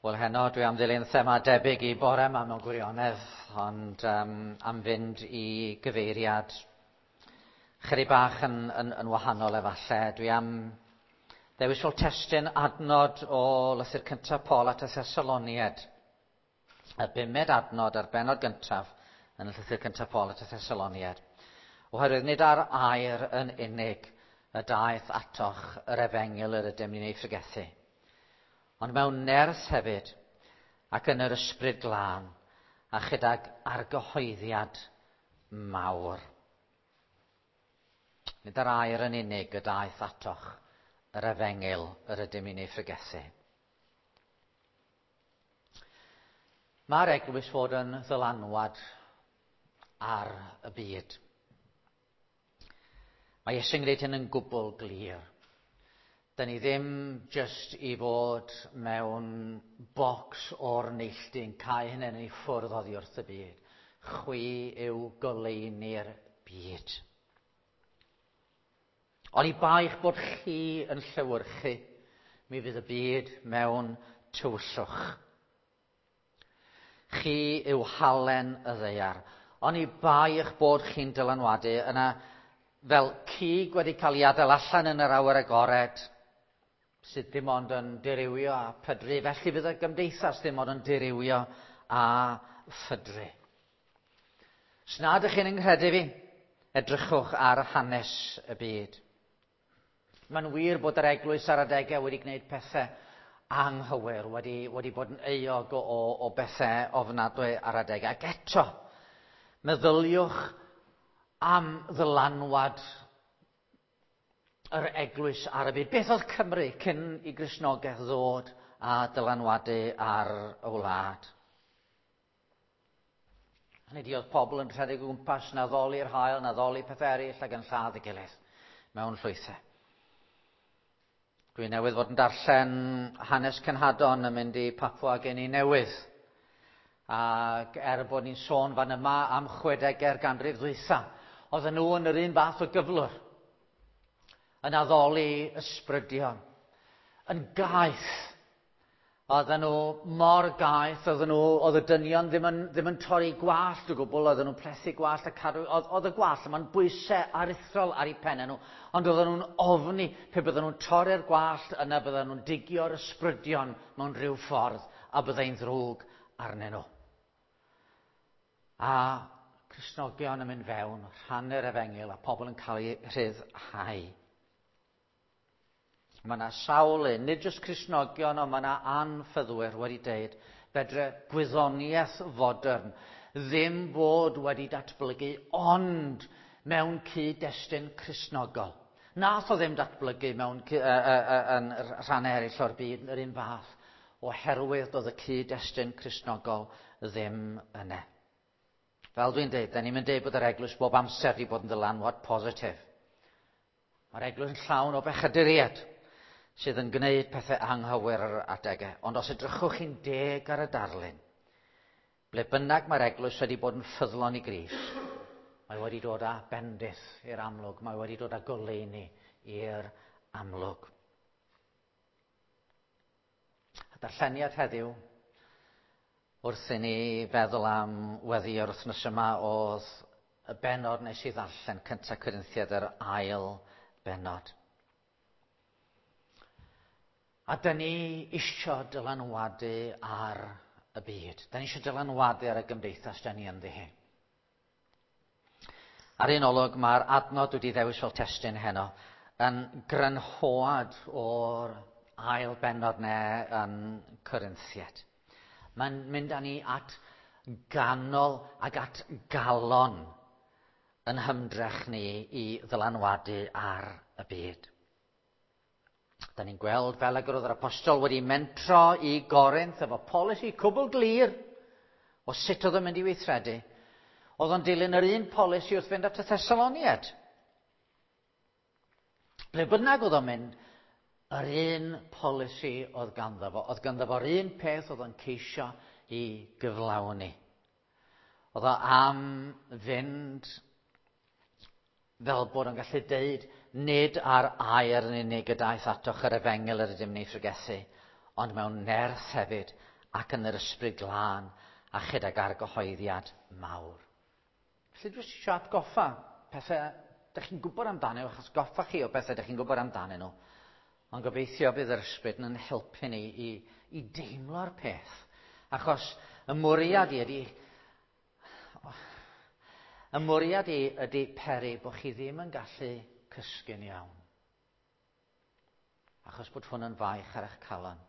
Wel heno dwi am ddilyn thema debyg i bore yma mewn gwirionedd, ond um, am fynd i gyfeiriad chydig bach yn, yn, yn wahanol efallai. Dwi am ddewis fel testun adnod o lythyr cyntaf Paul at y Thessaloniad. Y bumed adnod a'r benod gyntaf yn y llythyr cyntaf Paul at y Thessaloniad. Oherwydd nid ar air yn unig y daeth atoch yr efengyl yr ydym ni'n ei phregethu, ond mewn nerth hefyd ac yn yr ysbryd glân a chydag argyhoeddiad mawr. Nid ar air yn unig y daeth atoch yr efengyl yr ydym ni'n ei phregethu. Mae'r eglwys fod yn ddylanwad ar y byd. Mae Iesu'n gwneud hyn yn gwbl glir. Da ni ddim jyst i fod mewn bocs o'r neilltu yn cael hynny i ffwrdd oddi wrth y byd. Chwi yw goleuni'r byd. Ond i baich bod chi yn llewyrchu, mi fydd y byd mewn tywyllwch. Chi yw halen y ddaear. Ond i bai eich bod chi'n dylanwadu, yna fel cig wedi cael ei adael allan yn yr awyr agored, sydd dim ond yn dirywio a pydru, felly fydd y gymdeithas ddim ond yn dirywio a phydru. Os nad ydych chi'n yng fi, edrychwch ar hanes y byd. Mae'n wir bod yr eglwys ar adegau wedi gwneud pethau anghywir, wedi, wedi bod yn euog o, o, o bethau ofnadwy ar adegau. Ac eto, meddyliwch am ddylanwad yr eglwys ar y byd. Beth oedd Cymru cyn i Gristnogaeth ddod a dylanwadu ar y wlad? Hynny ydi, oedd pobl yn rhedeg o gwmpas na ddoli'r haul, na ddoli pethau eraill ac yn lladd y gilydd mewn llwythau. Dwi newydd fod yn darllen hanes cenhadon yn mynd i Papua Guinea Newydd. Ac er bod ni'n sôn fan yma am 60au'r ganrif ddwytha, oedden nhw yn yr un fath o gyflwr. Yn addoli ysbrydion. Yn gaeth. Oedden nhw mor gaeth, oedden nhw, oedd y dynion ddim yn, ddim yn torri gwallt o gwbl, oedden nhw'n plethu gwallt a cadw, oedd, oedd y gwallt yma'n bwysau aruthrol ar eu pennau nhw, ond oedden nhw'n ofni pe bydden nhw'n torri'r gwallt, yna bydden nhw'n digio'r ysbrydion mewn rhyw ffordd, a byddai'n ddrwg arnyn nhw. A Cristnogion yn mynd fewn, rhannu'r efengyl a pobl yn cael eu rhyddhau. Mae yna sawl un, nid jyst Cristnogion, ond mae yna anffyddwyr wedi deud fedre gwyddoniaeth fodern ddim bod wedi datblygu ond mewn cyd-destun Cristnogol. Nath o ddim datblygu mewn uh, uh, uh, yn rhannau eraill o'r byd yr un fath oherwydd doedd y cyd-destun Cristnogol ddim yna. Fel dwi'n deud, da ni'n mynd deud bod yr eglwys bob amser wedi bod yn ddylanwad positif. Mae'r eglwys yn llawn o bechaduriaid sydd yn gwneud pethau anghywir ar adegau. Ond os edrychwch chi'n deg ar y darlun, ble bynnag mae'r eglwys wedi bod yn ffyddlon i Grist, mae wedi dod â bendith i'r amlwg, mae wedi dod â goleuni i'r amlwg. A darlleniad heddiw, wrth i ni feddwl am weddi yr wythnos yma, oedd y benod nes i ddarllen cyntaf Corinthiad yr ail benod. A dyn ni isio dylanwadu ar y byd. Dyn ni isio dylanwadu ar y gymdeithas dyn ni ynddi hi. Ar un olwg, mae'r adnod wedi ddewis fel testun heno yn grynhoad o'r ail bennod ne yn Corinthiad. Mae'n mynd â ni at ganol ac at galon yn hymdrech ni i ddylanwadu ar y byd. Da ni'n gweld fel ag yr oedd yr apostol wedi mentro i Gorinth efo polisi cwbl glir o sut oedd o'n mynd i weithredu. Oedd o'n dilyn yr un polisi wrth fynd at y Thessaloniad. Ble bynnag oedd o'n mynd, yr un polisi oedd ganddo fo. Oedd ganddo fo'r un peth oedd o'n ceisio i gyflawni. Oedd o am fynd fel bod o'n gallu deud nid ar air yn unig y daeth atoch yr efengyl yr ydym ni phregethu, ond mewn nerth hefyd ac yn yr ysbryd glân a chydag argyhoeddiad mawr. Felly dwi eisiau atgoffa pethau ydych chi'n gwybod amdanyn nhw, achos goffa chi o bethau ydych chi'n gwybod amdanyn nhw. Ond gobeithio bydd yr ysbryd yn helpu ni i deimlo'r peth. Achos y mwriad i ydy... Y mwriad i ydy peri bod chi ddim yn gallu cysgu'n iawn. Achos bod hwn yn faich ar eich calon.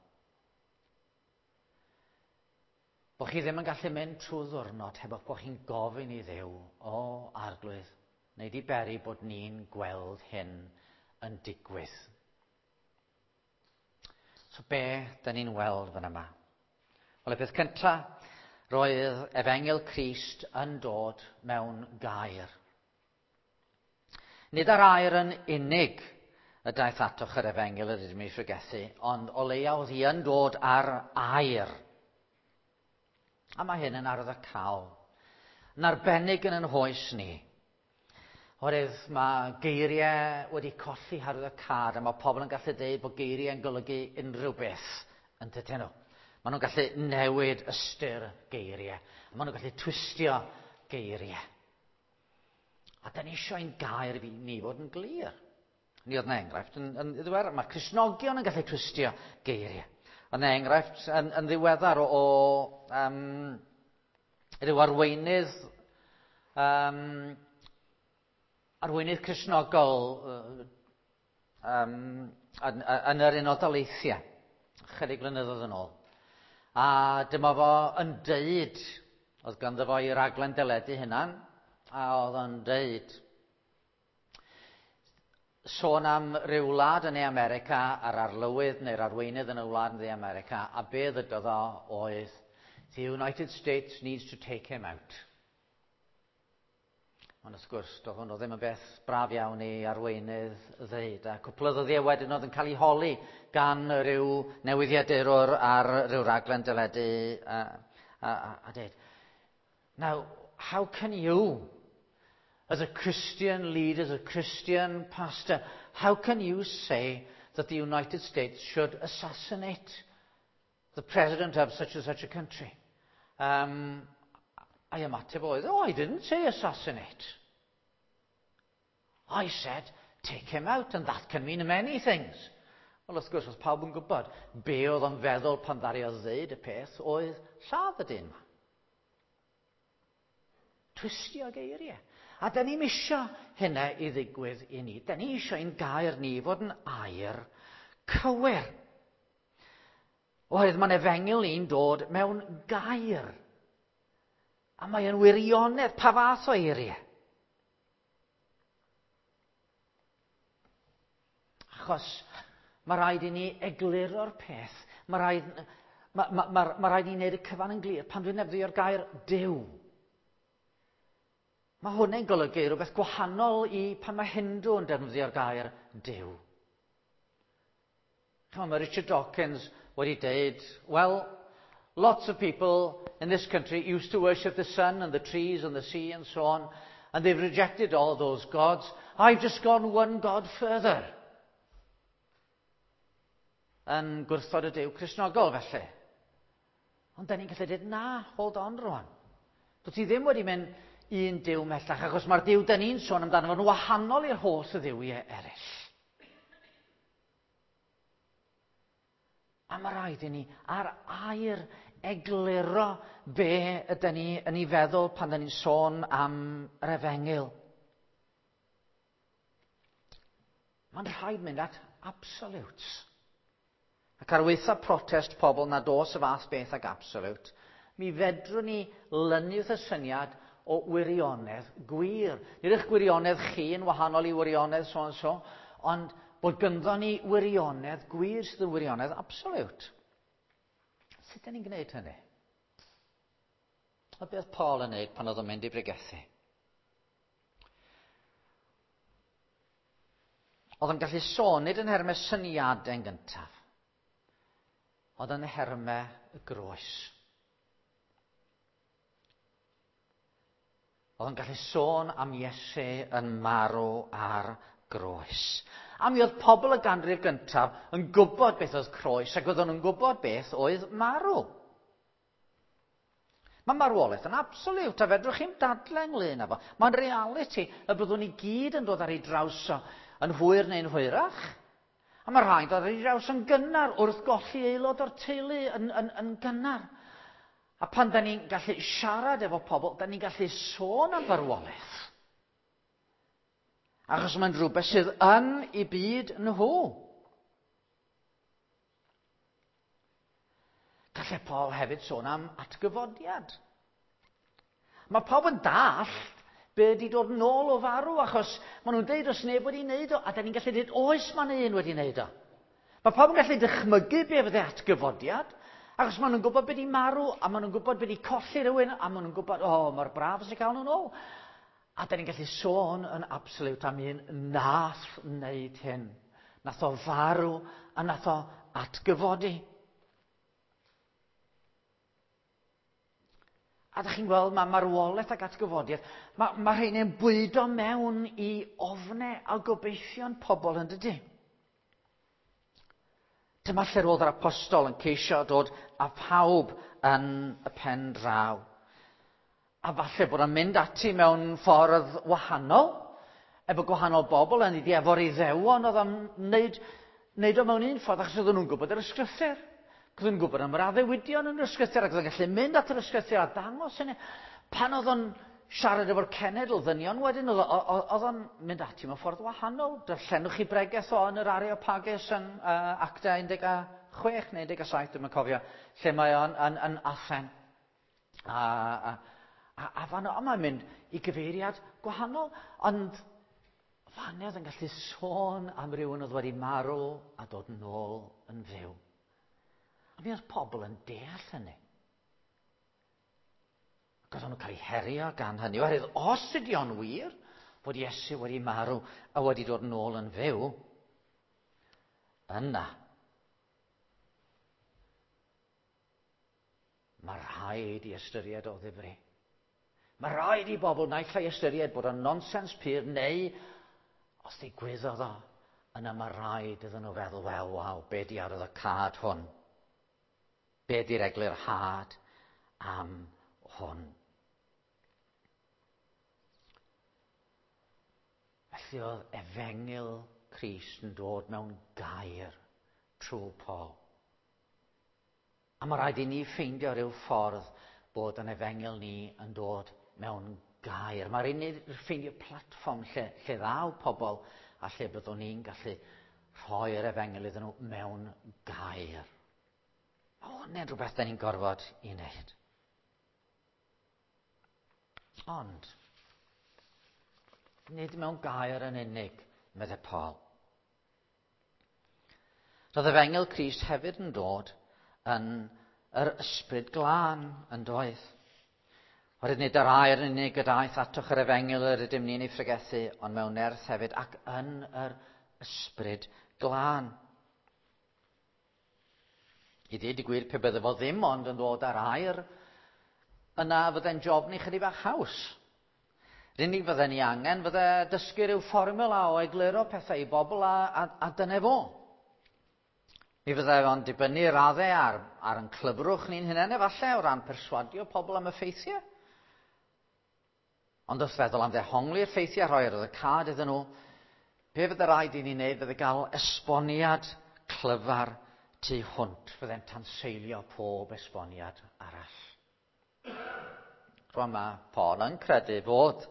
Bod chi ddim yn gallu mynd trwy ddwrnod heb bod chi'n gofyn i Dduw, o Arglwydd, neu di beri bod ni'n gweld hyn yn digwydd. So be da ni'n weld fan yma? Wel, y peth cyntaf, roedd Efengyl Crist yn dod mewn gair. Nid ar air yn unig y daeth atoch yr Efengyl yr ydym ei phregethu, ond o leia oedd hi yn dod ar air. A mae hyn yn arwyddocaol. Yn arbennig yn ein hoes ni. Oherwydd mae geiriau wedi colli harwyddocâd a mae pobl yn gallu dweud bod geiriau yn golygu unrhyw beth yn dydyn nhw. Maen nhw'n gallu newid ystyr geiriau. A maen nhw'n gallu twistio geiriau. A da ni eisiau ein gair fi ni fod yn glir. Ni oedd yna enghraifft yn ddiweddar. Mae Cristnogion yn gallu twistio geiriau. Oedd yna enghraifft yn ddiweddar o ryw arweinydd arweinydd Cristnogol yn yr Unol Daleithiau, chydig blynyddoedd yn ôl. A dyma fo yn deud, oedd ganddo fo i raglen deledu hunan, a oedd o'n deud, sôn am ryw wlad yn ei America a'r arlywydd neu'r arweinydd yn y wlad yn ei America, a be ddydodd o oedd, "The United States needs to take him out." Ond wrth gwrs, doedd hwnnw ddim yn beth braf iawn i arweinydd ddeud. A cwpl o ddyddiau wedyn oedd yn cael ei holi gan ryw newyddiadurwr ar ryw raglen deledu a dweud, "Now, how can you, as a Christian leader, as a Christian pastor, how can you say that the United States should assassinate the president of such and such a country?" A'i ymateb oedd, "Oh, I didn't say assassinate. I said, take him out, and that can mean many things." Wel, wrth gwrs, oedd pawb yn gwybod be oedd o'n feddwl pan ddaru o ddeud y peth oedd lladd y dyn yma. Twistio geiriau. A da ni'n isio hynna i ddigwydd i ni. Da ni isio ein gair ni fod yn air cywir. Oherwydd mae'n efengyl ni'n dod mewn gair. A mae yn wirionedd. Pa fath o eiriau? Achos mae rhaid i ni egluro'r peth. Mae rhaid i ni wneud y cyfan yn glir. Pan dwi'n defnyddio'r gair Duw, mae hwnna'n golygu rhywbeth gwahanol i pan mae Hindu yn defnyddio'r gair Duw. Chymod, mae Richard Dawkins wedi deud, "Well, lots of people in this country used to worship the sun and the trees and the sea and so on, and they've rejected all those gods. I've just gone one god further." Yn gwrthod y Duw Cristnogol, felly. Ond da ni'n gallu dweud, "Na, hold on rwan. Dwyt ti ddim wedi mynd un Duw mhellach, achos mae'r Duw da ni'n sôn amdano fo'n wahanol i'r holl dduwiau eraill." A mae rhaid i ni ar air egluro be ydyn ni yn ei feddwl pan da ni'n sôn am yr efengyl. Mae'n rhaid mynd at absolutes. Ac ar waetha protest pobl nad oes y fath beth ag absolute, mi fedrwn ni lynu wrth y syniad o wirionedd gwir. Nid eich gwirionedd chi yn wahanol i wirionedd so and so, ond bod gynddo ni wirionedd gwir sydd yn wirionedd absolute. Sut ydyn ni'n gwneud hynny? A beth Paul yn gwneud pan oedd o'n mynd i bregethu? Oedd o'n gallu sôn nid yn nhermau syniadau yn gyntaf, oedd yn nhermau y groes. Oedd o'n gallu sôn am Iesu yn marw ar groes. A mi oedd pobl y ganrif gyntaf yn gwybod beth oedd croes ac oedden nhw'n gwybod beth oedd marw. Mae marwolaeth yn absoliwt, a fedrwch chi'm dadle ynglyn â fo. Mae'n realiti y byddwn ni gyd yn dod ar ei draws o yn hwyr neu'n hwyrach. A mae rhai'n dod ar ei draws yn gynnar wrth golli aelod o'r teulu yn, yn, yn gynnar. A pan da ni'n gallu siarad efo pobl, da ni'n gallu sôn am farwolaeth. Achos mae'n rhywbeth sydd yn i byd nhw. Gallai Paul hefyd sôn am atgyfodiad. Mae pawb yn dallt be ydi dod nôl o farw, achos maen nhw'n deud os neb wedi wneud o, a da ni'n gallu dweud oes mae'n un wedi wneud o. Mae pawb yn gallu dychmygu be fydde atgyfodiad, achos maen nhw'n gwybod be di marw, a maen nhw'n gwybod be di colli rhywun, a maen nhw'n gwybod, o, oh, mae'r braf sy'n cael nhw'n ôl. A da ni'n gallu sôn yn absoliwt am un nath wneud hyn. Nath o farw a nath o atgyfodi. A da chi'n gweld mae marwolaeth ac atgyfodiad, mae, mae rhain yn bwydo mewn i ofnau a gobeithion pobl yn dydy. Dyma lle roedd yr apostol yn ceisio dod â phawb yn y pen draw. A falle bod o'n mynd ati mewn ffordd wahanol, efo gwahanol bobl, yn iddi efo'r Iddewon oedd o'n wneud, wneud o mewn un ffordd, achos oedden nhw'n gwybod yr ysgrythyr. Oedden nhw'n gwybod am yr addewidion yn yr ysgrythyr, ac oedd o'n gallu mynd at yr ysgrythyr a dangos hynny. Pan oedd o'n siarad efo'r cenedl ddynion wedyn, oedd o'n mynd ati mewn ffordd wahanol. Darllenwch chi bregeth o yn yr Areopagus yn uh, Actau 16 neu 17, dwi'n cofio, lle mae o'n yn, yn Athen. A, a, a, a fan o, mae'n mynd i gyfeiriad gwahanol, ond fan oedd yn gallu sôn am rywun oedd wedi marw a dod nôl yn fyw. A mi oedd pobl yn deall hynny. Ac oedden nhw'n cael eu herio gan hynny. Oherwydd os ydy o'n wir fod Iesu wedi marw a wedi dod nôl yn fyw, yna mae rhaid i ystyried o ddifri. Mae rhaid i bobl naill ai ystyried bod o'n nonsens pur neu os ddigwyddodd o, yna mae rhaid iddyn nhw feddwl, wel, waw, be di arwydd y cad hwn? Be di'r eglurhad am hwn? Felly oedd efengyl Crist yn dod mewn gair trwy Paul. A mae rhaid i ni ffeindio rhyw ffordd bod yn efengyl ni yn dod mewn gair. Mae rhaid i ni ffeindio platfform lle, lle ddaw pobl a lle byddwn ni'n gallu rhoi'r efengyl iddyn nhw mewn gair. Mae hwnna'n rhywbeth da ni'n gorfod i wneud. Ond, nid mewn gair yn unig, meddai Paul. Roedd efengyl Crist hefyd yn dod yn yr ysbryd glân yn doedd. Oherwydd nid yr air yn unig y daeth atoch yr efengyl yr ydym ni'n ei phregethu, ond mewn nerth hefyd ac yn yr ysbryd glân. I ddweud y gwir, pe bydde fo ddim ond yn dod ar air, yna fydde'n job ni chydig bach haws. Yr unig fydden ni angen fydde dysgu rhyw fformula o egluro pethau i bobl a, a, a dyna fo. Mi fydde fo'n dibynnu raddau ar, ar yn clyfrwch ni'n hunain efallai o ran perswadio pobl am y ffeithiau. Ond wrth feddwl am ddehongli'r ffeithiau rhoi ar y cad iddyn nhw, be fydde rhaid i ni wneud fydde gael esboniad clyfar tu hwnt, fydde'n tanseilio pob esboniad arall. Rwan mae Paul yn credu fod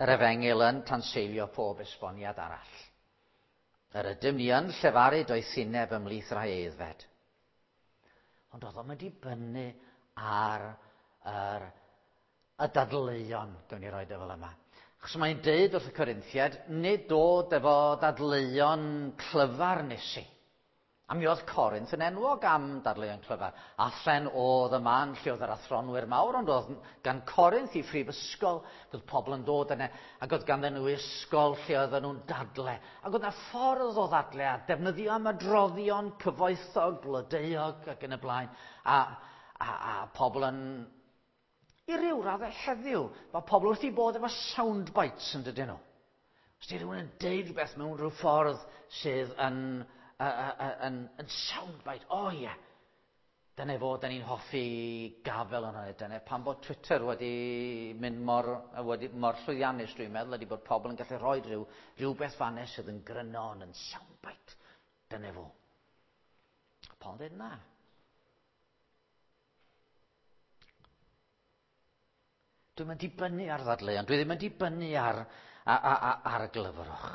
yr efengyl yn tanseilio pob esboniad arall. Yr ydym ni yn llefaru doethineb ymhlith rhai aeddfed. Ond oedd o'n dibynnu ar yr y dadleuon, gawn ni roed e fel yma. Achos mae'n deud wrth y Corinthiad, nid dod efo dadleuon clyfar nes i. A mi oedd Corinth yn enwog am dadleuon clyfar. Athen oedd y man lle oedd yr athronwyr mawr, ond oedd gan Corinth i phrifysgol, oedd pobl yn dod yna, ac oedd ganddyn nhw ysgol lle oedden nhw'n dadle. Ac oedd yna ffordd o ddadle a defnyddio ymadroddion cyfoethog, blodeuog ac yn y blaen. A, a, a pobl yn I ryw raddau heddiw, mae pobl wrth i bod efo sound bites yn dydyn nhw. Os di rhywun yn deud rhywbeth mewn rhyw ffordd sydd yn, uh, uh, yn, yn sound bite, o oh, ie. Yeah. Dyna fo, da ni'n hoffi gafel yn hynny. Dyna pam bod Twitter wedi mynd mor, wedi, mor llwyddiannus, dwi'n meddwl, ydy bod pobl yn gallu rhoi rhyw, rhywbeth fanna sydd yn gryno yn soundbite. Dyna fo. A Paul yn dweud na. Dwi'n mynd dibynnu ar ddadleuon, dwi ddim yn dibynnu ar, ar, ar, ar y glyfrwch.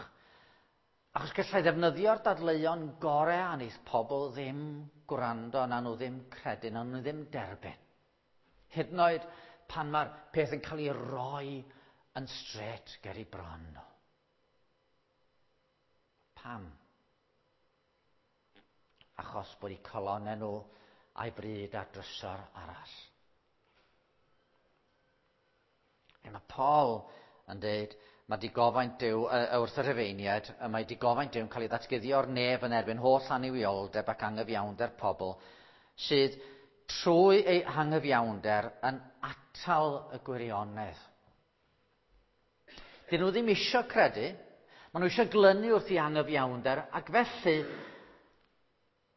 Achos gallai ddefnyddio'r dadleuon gorau a wneith pobl ddim gwrando, na nhw ddim credu, na nhw ddim derbyn. Hyd yn oed pan mae'r peth yn cael ei roi yn stret ger i bron nhw. Pam? Achos bod eu colonnau nhw a'i bryd ar drysor arall. A mae Paul yn dweud, mae digofaint Duw wrth y Rhufeiniaid, y mae digofaint Duw yn cael ei ddatguddio o'r nef yn erbyn holl annuwioldeb ac angyfiawnder pobl sydd trwy ei hangyfiawnder yn atal y gwirionedd. Dyn nhw ddim eisiau credu, maen nhw eisiau glynu wrth i angyfiawnder, ac felly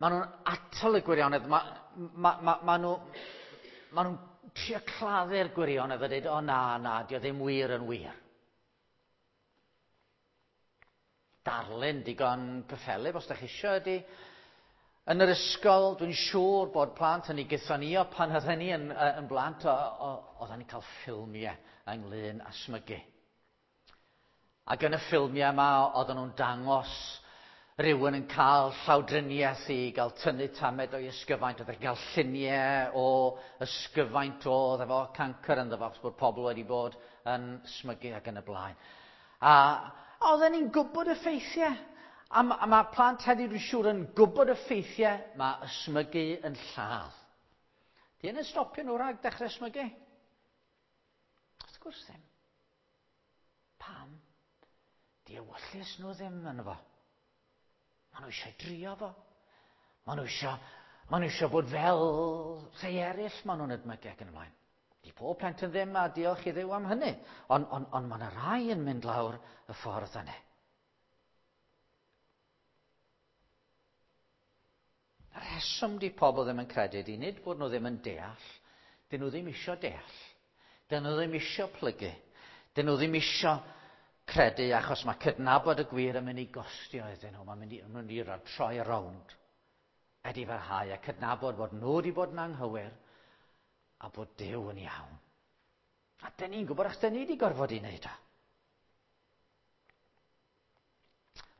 maen nhw'n atal y gwirionedd, mae ma, ma, ma nhw, ma nhw'n trio claddu'r gwirionedd a dweud, o na, na, dio ddim wir yn wir. Darlun digon cyffelyb os da chi eisiau ydy, yn yr ysgol, dwi'n siŵr bod plant yn ei gythonio pan oedden ni yn, yn blant, oedden ni'n cael ffilmiau ynglyn â smygu. Ac yn y ffilmiau yma, oedden nhw'n dangos rhywun yn cael llawdriniaeth i gael tynnu tamed o'i ysgyfaint, oedd yn cael lluniau o ysgyfaint oedd efo cancr ynddo fo, achos bod pobl wedi bod yn smygu ac yn y blaen. A oedden ni'n gwybod y ffeithiau. A, a mae plant heddiw dwi'n siŵr yn gwybod y ffeithiau, mae ysmygu yn lladd. Di hyn yn stopio nhw rhag dechrau ysmygu? Wrth gwrs ddim. Pam? Di ewyllys nhw ddim yn fo. Maen nhw eisiau drio fo. Maen nhw eisiau, maen nhw eisiau bod fel rhai eraill maen nhw'n edmygu ac yn y blaen. Di pob plentyn ddim a diolch i Dduw am hynny. Ond on, on, mae yna rai yn mynd lawr y ffordd yna. Y rheswm di pobl ddim yn credu ydy nid bod nhw ddim yn deall, dyn nhw ddim isio deall. Dyn nhw ddim isio plygu. Dyn nhw ddim isio credu achos mae cydnabod y gwir yn mynd i gostio iddyn nhw. Mae'n mynd i, mynd i troi rownd. Edifarhau a cydnabod bod nhw wedi bod yn anghywir a bod Duw yn iawn. A dyn ni'n gwybod achos dyn ni wedi gorfod i wneud o.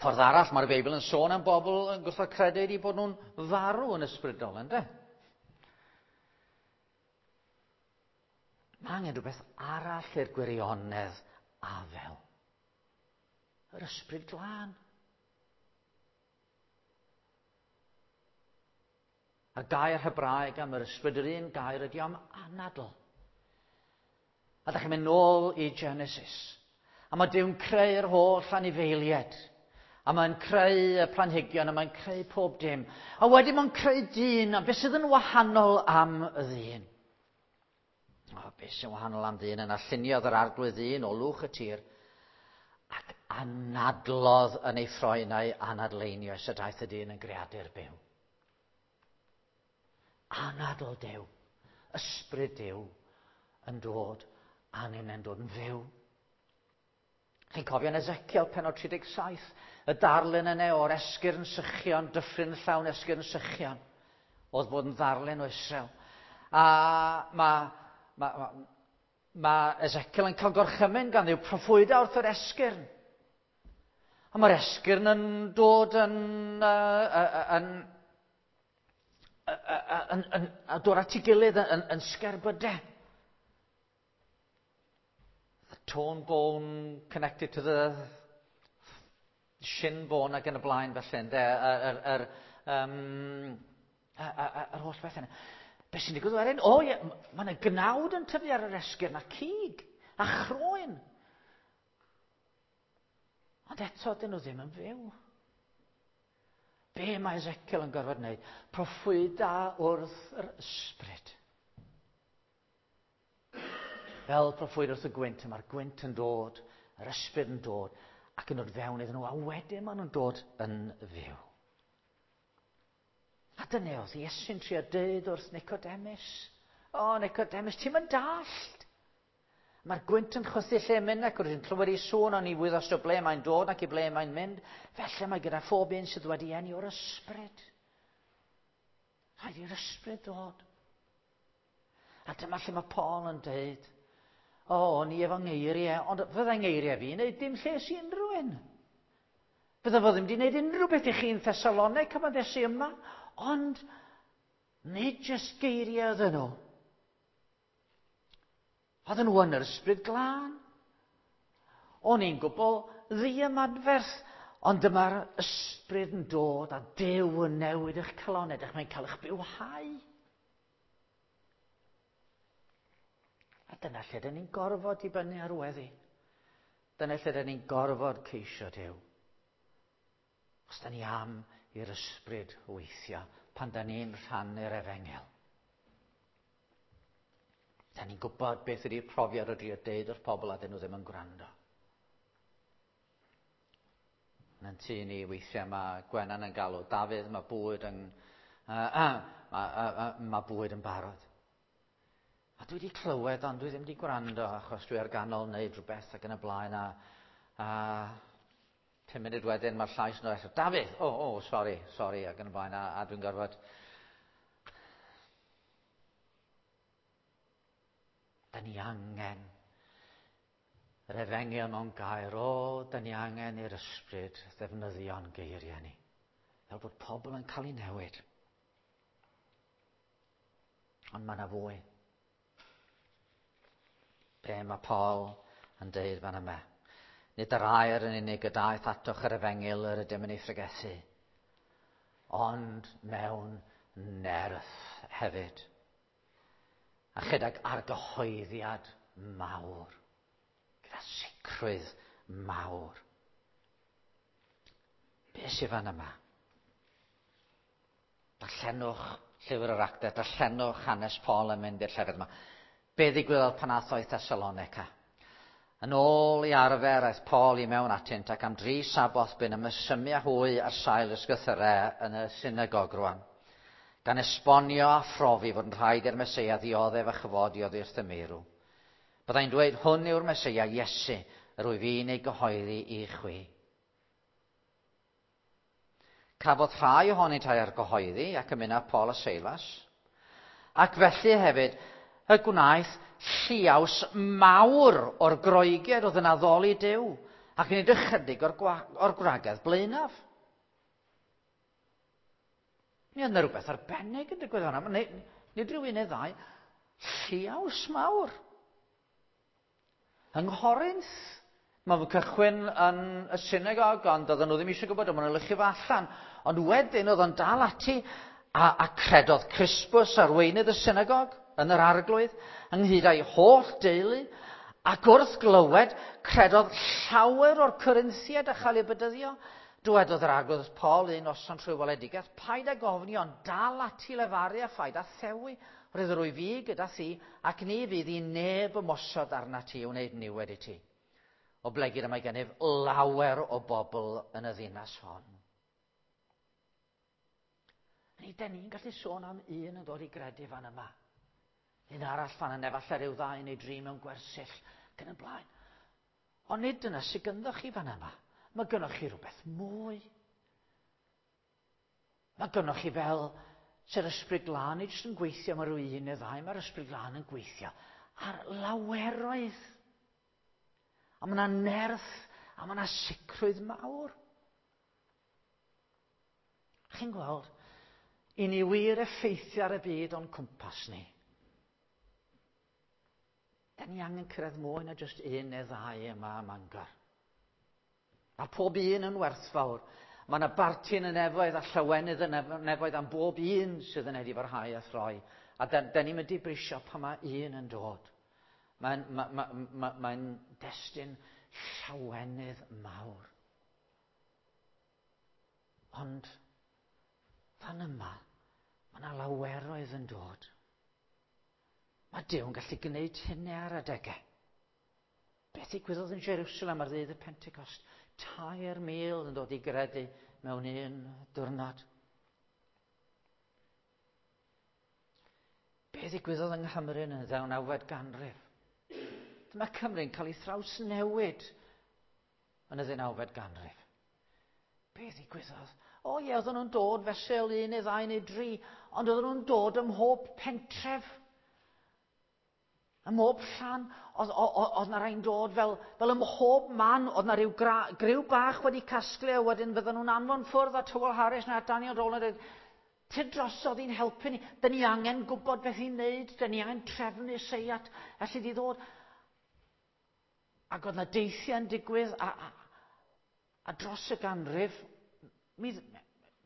Ffordd arall mae'r Beibl yn sôn am bobl yn gwrthod credu ydy bod nhw'n farw yn ysbrydol, ynddo? Mae angen rhywbeth arall i'r gwirionedd afel. Yr ysbryd glân. A'r gair Hebraeg am yr ysbryd, yr un gair ydy am anadl. A da chi'n mynd nôl i Genesis. A mae Duw'n creu'r holl anifeiliaid. A mae'n creu y planhigion, a mae'n creu pob dim. A wedyn mae'n creu dyn, a beth sydd yn wahanol am y ddyn? O, beth sy'n wahanol am ddyn yna? Lluniodd yr arglwydd ddyn o lwch y tir, ac anadlodd yn ei ffroenau anadleinioes y daeth y dyn yn greadur byw. Anadl Duw, ysbryd Duw yn dod, a ni'n dod yn fyw. Chi'n cofio yn Ezekiel penod 37, y darlun yna o'r esgyrn sychion, dyffryn llawn esgyrn sychion, oedd bod yn ddarlun o Israel. A mae ma, ma, ma Ezekiel yn cael gorchymyn gan Dduw proffwyda wrth yr esgyrn. A mae'r esgyrn yn dod yn, uh, yn, yn, yn, yn, dod at ei gilydd yn, yn, yn sgerbydau. The torn bone connected to the shin bone ac yn y blaen felly, ynde, yr, yr, um, yr holl beth yna. Be sy'n digwydd wedyn? O ie, mae yna gnawd yn tyfu ar yr esgyrn a cig a chroen. Ond eto, dyn nhw ddim yn fyw. Be mae Ezekiel yn gorfod wneud? Proffwyda wrth yr ysbryd. Fel proffwyd wrth y gwynt, mae'r gwynt yn dod, yr ysbryd yn dod, ac yn dod fewn iddyn nhw, a wedyn maen nhw'n dod yn fyw. A dyna oedd Iesu'n trio dweud wrth Nicodemus. O, Nicodemus, ti'n mynd dallt. Mae'r gwynt yn chwythu lle mynd ac rwy'n clywed ei sŵn ond i wyddost o ble mae'n dod ac i ble mae'n mynd. Felly mae gyda phob un sydd wedi eni o'r ysbryd. Rhaid i'r ysbryd ddod. A dyma lle mae Paul yn dweud, o, o'n i efo ngeiriau, ond fydda ngeiriau fi wneud dim lles i unrhyw un. Bydda fo ddim wedi gwneud unrhyw beth i chi yn Thessalonica pan ddes i yma, ond nid jyst geiriau oedden nhw. Oedden nhw yn yr ysbryd glân. O'n i'n gwbl ddiymadferth, ond dyma'r ysbryd yn dod a Duw yn newid eich calonau, ydych mae'n cael eich bywhau. A dyna lle dyn ni'n gorfod dibynnu ar weddi. Dyna lle dyn ni'n gorfod ceisio Duw. Os da ni am i'r ysbryd weithio pan da ni'n rhannu'r efengyl. Da ni'n gwybod beth ydy'r profiad o drio deud wrth pobl a dyn nhw ddim yn gwrando. Yn yn tŷ ni weithiau mae Gwenan yn galw Dafydd, mae bwyd yn, mae, mae bwyd yn barod. A dwi wedi clywed, ond dwi ddim wedi gwrando achos dwi ar ganol wneud rhywbeth ac yn y blaen a, a 5 munud wedyn mae'r llais yn dod eto, Dafydd, o, oh, oh, sori, sori, ac yn y blaen, a, a dwi'n gorfod... Da ni angen yr efengyl mewn gair, o, da ni angen i'r ysbryd ddefnyddio'n geiriau ni, fel bod pobl yn cael ei newid. Ond mae yna fwy. Be mae Paul yn deud fan yma? Nid yr air yn unig y daeth atoch yr efengyl yr ydym yn ei phregethu, ond mewn nerth hefyd, a chydag argyhoeddiad mawr, gyda sicrwydd mawr. Be sydd fan yma? Darllenwch llyfr yr actau, darllenwch hanes Paul yn mynd i'r llefydd yma. Be ddigwyddodd pan ath o i Thessalonica? Yn ôl i arfer, aeth Paul i mewn atynt ac am dri saboth bu'n ymysymu â hwy ar sail ysgythyrau yn y synagog rwan, gan esbonio a phrofi fod yn rhaid i'r Meseia ddioddef a chyfodi oddi wrth y meirw. Byddai'n dweud, hwn yw'r Meseia, Iesu, yr wyf i'n ei gyhoeddi i chwi. Cafodd rhai ohonynt eu argyhoeddi ac ymuno â Paul a Seilas, ac felly hefyd y gwnaeth lliaws mawr o'r Groegiaid oedd yn addoli Duw, ac nid ychydig o'r, or gwragedd blaenaf. Mi oedd yna rhywbeth arbennig yn digwydd fan'na. Nid, nid rhyw un neu ddau, lliaws mawr. Yng Nghorinth, mae fe'n cychwyn yn y synagog, ond oedden nhw ddim eisiau gwybod, ond maen nhw'n luchio fo allan. Ond wedyn oedd o'n dal ati, a, a credodd Crispus, arweinydd y synagog, yn yr arglwydd, ynghyd â'i holl deulu, ac wrth glywed, credodd llawer o'r Corinthiaid a chael eu bedyddio. Dywedodd yr arglwydd wrth Paul un noson trwy weledigaeth, paid ag ofni, ond dal ati lefaru a phaid â thewi. Roedd yr wyf fi gyda thi, ac ni fydd i neb ymosod arnat ti i wneud niwed i ti. Oblegid y mae gennyf lawer o bobl yn y ddinas hon. Ni, den ni'n gallu sôn am un yn dod i gredu fan yma. Un arall fan yna, efallai rhyw ddau neu dri mewn gwersyll, ac yn y blaen. Ond nid dyna sydd gynddo chi fan yma. Mae gynnoch chi rhywbeth mwy. Mae gynnoch chi fel sy'r ysbryd glân, nid jyst yn gweithio mae rhyw un neu ddau, mae'r ysbryd glân yn gweithio ar laweroedd. A mae yna nerth, a mae yna sicrwydd mawr. Chi'n gweld, i ni wir effeithio ar y byd o'n cwmpas ni. Da ni angen cyrraedd mwy na jyst un neu ddau yma ym Mangor. Mae pob un yn werthfawr. Mae yna barti yn y nefoedd a llawenydd yn y nefoedd am bob un sydd yn edifarhau a throi. A da, da ni'n mynd i brisio pan mae un yn dod. Mae'n ma, ma, ma, mae destun llawenydd mawr. Ond fan yma, mae yna laweroedd yn dod. Mae Duw yn gallu gwneud hynny ar adegau. Beth ddigwyddodd yn Jerusalem ar ddydd y Pentecost? 3,000 yn dod i gredu mewn un diwrnod. Be ddigwyddodd yng Nghymru yn y ddeunawfed ganrif? Dyma Cymru'n cael ei thrawsnewid yn y ddeunawfed ganrif. Be ddigwyddodd? O ie, oedden nhw'n dod fesul un neu ddau neu dri, ond oedden nhw'n dod ym mhob pentref. Ym mhob llan, oedd, oedd na rai'n dod fel, fel ym mhob man, oedd na rhyw gra, griw bach wedi casglu, a wedyn fydden nhw'n anfon ffwrdd at Hywel Harris neu at Daniel Rowland, a dweud, Tyd drosodd i'n helpu ni, dyn ni angen gwybod beth i'n neud, dyn ni angen trefnu seiat, allu di ddod. Ac oedd na deithiau'n digwydd, a, a, a dros y ganrif, mi,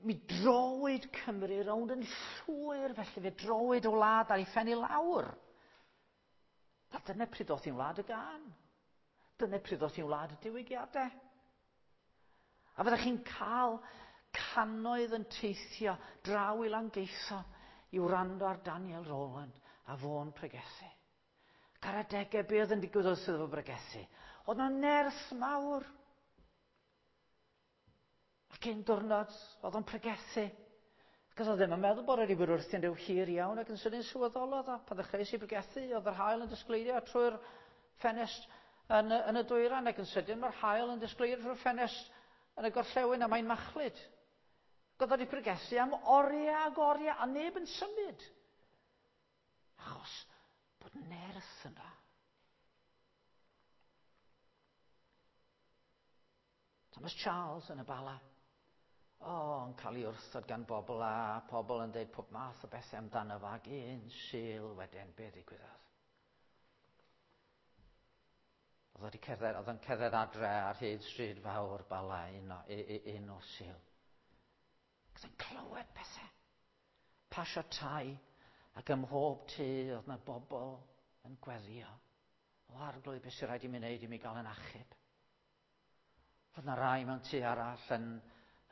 mi drowyd Cymru rownd yn llwyr, felly fe drowyd o wlad ar ei phen i lawr. A dyna pryd oedd hi'n wlad y gân. Dyna pryd oedd hi'n wlad y diwygiadau. A fyddech chi'n cael cannoedd yn teithio draw i Langeitho i wrando ar Daniel Rowland a fo'n pregethu. Ac ar adegau, be oedd yn digwydd wrth iddo fo bregethu? Oedd 'na nerth mawr. Ac un diwrnod, oedd o'n pregethu. Ac oedd o ddim yn meddwl bod wedi bod wrthi'n rhyw hir iawn ac yn sydyn sylweddolodd o pan ddechreuais i bregethu, oedd yr haul yn disgleirio trwy'r ffenest yn, yn y dwyrain ac yn sydyn mae'r haul yn disgleirio trwy'r ffenest yn y gorllewin a mae'n machlud. Ac oedd wedi pregethu am oriau ac oriau a neb yn symud. Achos bod nerth yna. Thomas Charles yn y Bala. O, oh, yn cael ei wrthod gan bobl a pobl yn dweud pob math o bethau amdano fo ac un sil wedyn, be ddigwyddodd? Oedd wedi cerdded, oedd yn cerdded adre ar hyd stryd fawr Bala un o, un o sil. Ac yn clywed pethau. Pasio tai ac ym mhob tŷ oedd yna bobl yn gweddio. O arglwydd, beth sy'n rhaid i mi wneud i mi gael yn achub? Oedd yna rai mewn tŷ arall yn,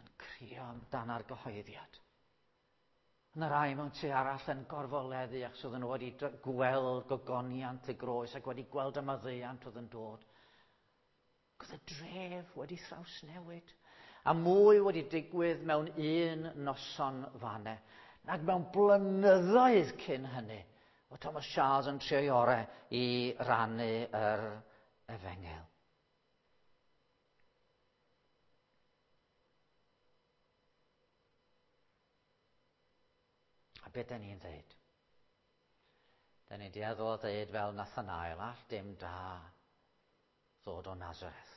yn crio amdan argyhoeddiad. Oedd yna rai mewn tŷ arall yn gorfoleddu achos oedden nhw wedi gweld gogoniant y groes ac wedi gweld y maddeuant oedd yn dod. Ac oedd y dref wedi thrawsnewid. A mwy wedi digwydd mewn un noson fanne nag mewn blynyddoedd cyn hynny. O Thomas Charles yn trio'i orau i rannu yr efengyl. A beth da ni'n dweud? Da ni'n dueddol o ddeud fel Nathanael, all dim da ddod o Nazareth.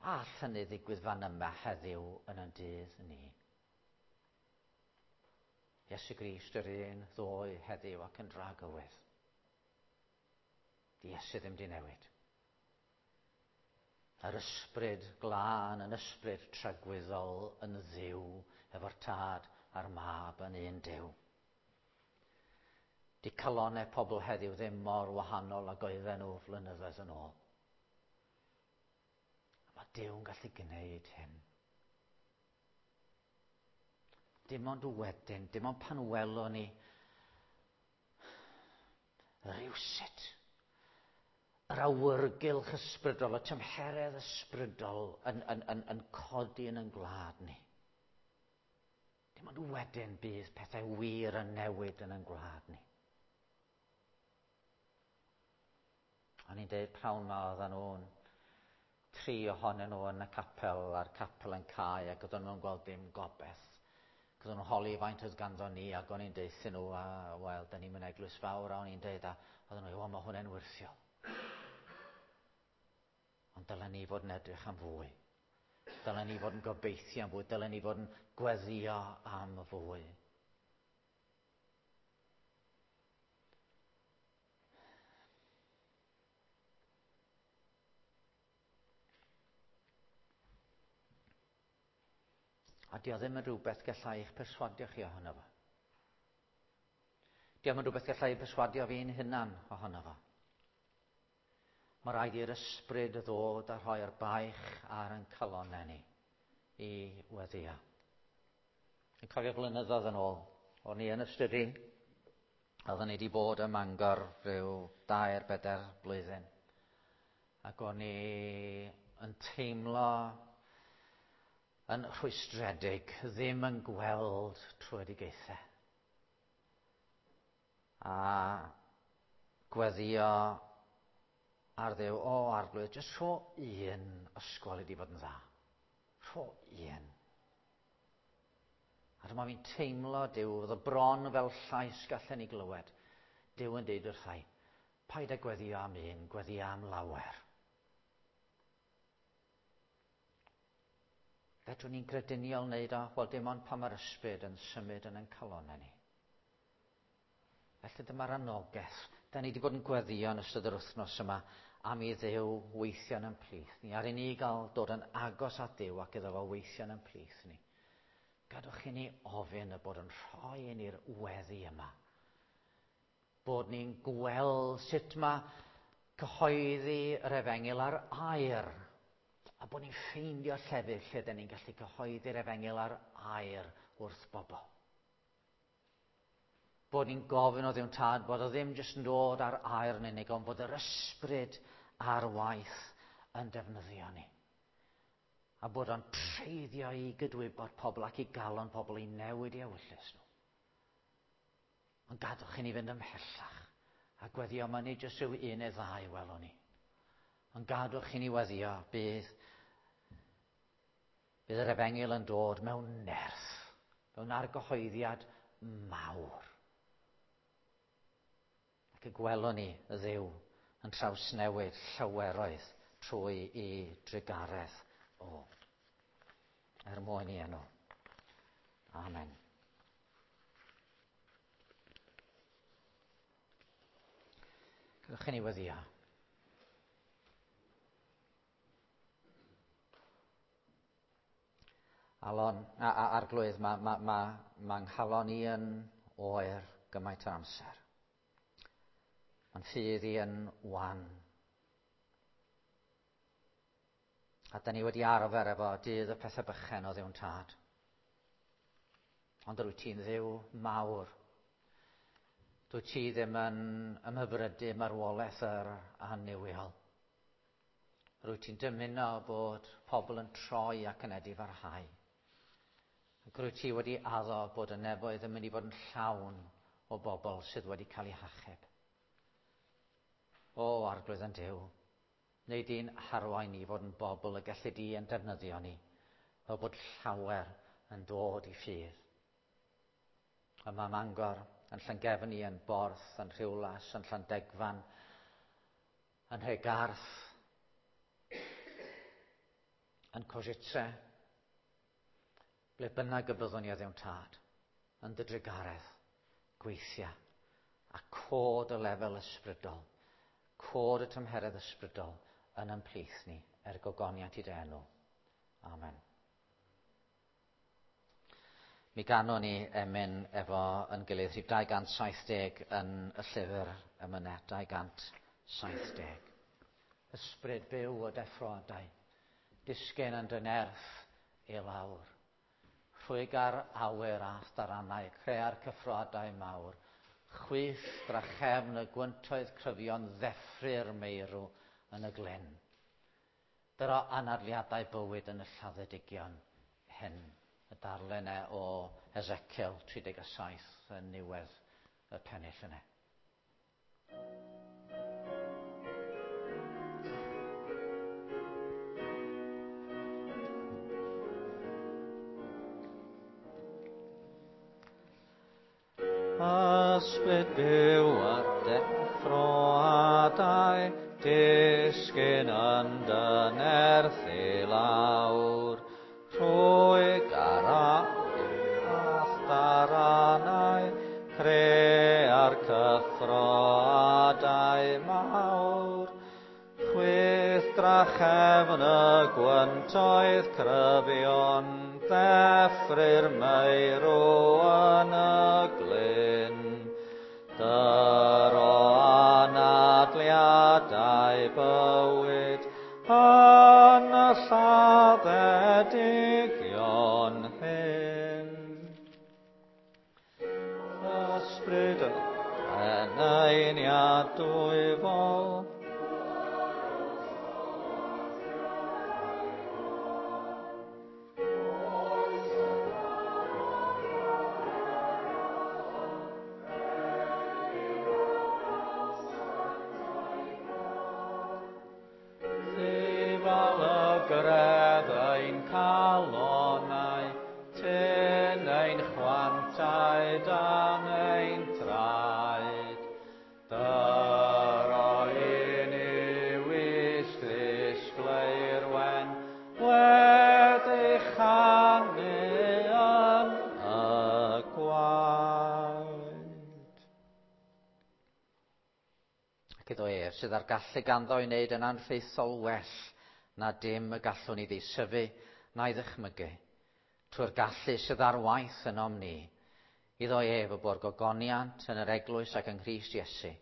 All hynny ddigwydd fan yma heddiw yn ein dydd ni. Iesu Grist yr un ddoe heddiw ac yn dragywydd. Di Iesu ddim di newid. Yr ysbryd glân yn ysbryd tragwyddol yn ddiw efo'r tad a'r mab yn un Duw. Di calonau pobl heddiw ddim mor wahanol ag oedden nhw flynyddoedd yn ôl. A mae Duw'n gallu gwneud hyn. Dim ond wedyn, dim ond pan welwn ni rywsut yr awyrgylch ysbrydol, y tymheredd ysbrydol yn, yn, yn, yn codi yn ein gwlad ni. Dim ond wedyn bydd pethau wir yn newid yn ein gwlad ni. O'n i'n deud prawn ma oedden nhw'n tri ohonyn nhw yn y capel a'r capel yn cau ac oedden nhw'n gweld dim gobeith. Ac oedden nhw'n holi faint oedd ganddo ni ac o'n i'n deuthyn nhw a wel, da ni'n mynd eglwys fawr a o'n i'n deud a oedden nhw, o mae hwnna'n wyrthiol. Ond dylen ni fod yn edrych am fwy. Dylen ni fod yn gobeithio am fwy. Dylen ni fod yn gweddio am fwy. A di o ddim yn rhywbeth gallai eich perswadio chi ohono fo. Di o'm yn rhywbeth gallai perswadio fi'n hunan ohono fo. Mae rhaid i'r ysbryd ddod a rhoi'r baich ar ein calonnau ni i weddio. Yn cofio blynyddoedd yn ôl, o'n i yn y stydi, oeddwn ni wedi bod ym Mangor rhyw dair, bedair blwyddyn. Ac o'n i yn teimlo yn rhwystredig, ddim yn gweld tröedigaethau. A gweddio ar Dduw, o Arglwydd, jyst rho un ysgol i di fod yn dda. Rho un. A dyma fi'n teimlo Duw, oedd y bron fel llais gallen ni glywed. Duw yn deud wrthai, paid â gweddio am un, gweddio am lawer. Fedrwn ni'n grediniol wneud o? Wel, dim ond pan mae'r ysbryd yn symud yn ein calonnau ni. Felly dyma'r anogaeth. Da ni wedi bod yn gweddio yn ystod yr wythnos yma am i Dduw weithio yn ein plith ni, ar i ni gael dod yn agos at Dduw ac iddo fo weithio yn ein plith ni. Gadwch i ni ofyn y bod yn rhoi i ni'r weddi yma. Bod ni'n gweld sut mae cyhoeddi yr efengyl ar air, a bod ni'n ffeindio llefydd lle dyn ni'n gallu cyhoeddi'r efengyl ar air wrth bobl. Bod ni'n gofyn o Dduw'n Tad bod o ddim jyst yn dod ar air yn unig, ond bod yr ysbryd ar waith yn defnyddio ni. A bod o'n treiddio i gydwybod pobl ac i galon pobl i newid i ewyllys nhw. Ond gadwch i ni fynd ymhellach a gweddio yma nid jyst rhyw un neu ddau welwn ni. Ond gadwch i ni weddio bydd bydd yr efengyl yn dod mewn nerth, mewn argyhoeddiad mawr. Ac y gwelwn ni y Dduw yn trawsnewid llaweroedd trwy i drugaredd o. Er mwyn i enw. Amen. Gadewch i ni weddio. Alon, a, a, arglwydd, mae ma, ma, ma nghalon i yn oer gymaint o amser. Mae'n ffydd i yn wan. A da ni wedi arfer efo dydd y pethau bychen o Dduw'n tad. Ond yr wyt ti'n Dduw mawr. Dwyt ti ddim yn ymhyfrydu marwolaeth yr annuwiol. Rwyt ti'n dymuno bod pobl yn troi ac yn edifarhau. Ac rwyt ti wedi addo bod y nefoedd yn mynd i fod yn llawn o bobl sydd wedi cael eu hachub. O, Arglwydd yn Duw, neu di'n harwain ni fod yn bobl y gallu di yn defnyddio ni, fel bod llawer yn dod i ffydd. Yma Mangor, yn Llangefni, yn Borth, yn Rhiwlas, yn Llandegfan, yn Nhregarth, yn Košice, ble bynnag y byddwn ni o Dduw'n Tad, yn dy drugaredd, gweithia, a cod y lefel ysbrydol, cod y tymheredd ysbrydol yn ein plith ni, er gogoniant i dy enw. Amen. Mi ganwn ni emyn efo yn gilydd rhif 270 yn y llyfr emynau 270. Ysbryd byw o deffroadau, disgyn yn dy nerth i lawr. Rhwyg ar awyr a tharanau, crea'r cyffroadau mawr. Chwyth drachefn y gwyntoedd cryfion ddeffry'r meirw yn y glyn. Dyro anadliadau bywyd yn y lladdedigion hyn. Y darllen e o Ezekiel 37 yn niwedd y pennill yna. Ysbryd byw a deffroadau, disgyn yn dy nerth i lawr. Trwy garau a'th daranau, crea'r cyffroadau mawr. Chwyth drachefn y gwyntoedd cryfion, ddeffry'r meirw yn y glyn. Dyro anadliadau bywyd yn y lladdedigion hyn. Ysbryd y eneiniad dwyfol, Llygredd ein calonau, tyn ein chwantau dan ein traed. Dyro i ni wisg ddisglair wen, wedi chanu yn y gwaed. Ac iddo ef sydd â'r gallu ganddo i wneud yn anrhaethol well na dim y gallwn ni ddeisyfu na'i ddychmygu, trwy'r gallu sydd ar waith ynom ni, iddo ef y bo'r gogoniant yn yr eglwys ac yng Nghrist Iesu,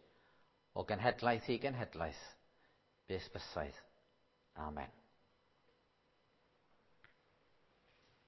o genhedlaeth i genhedlaeth, byth bythaidd. Amen.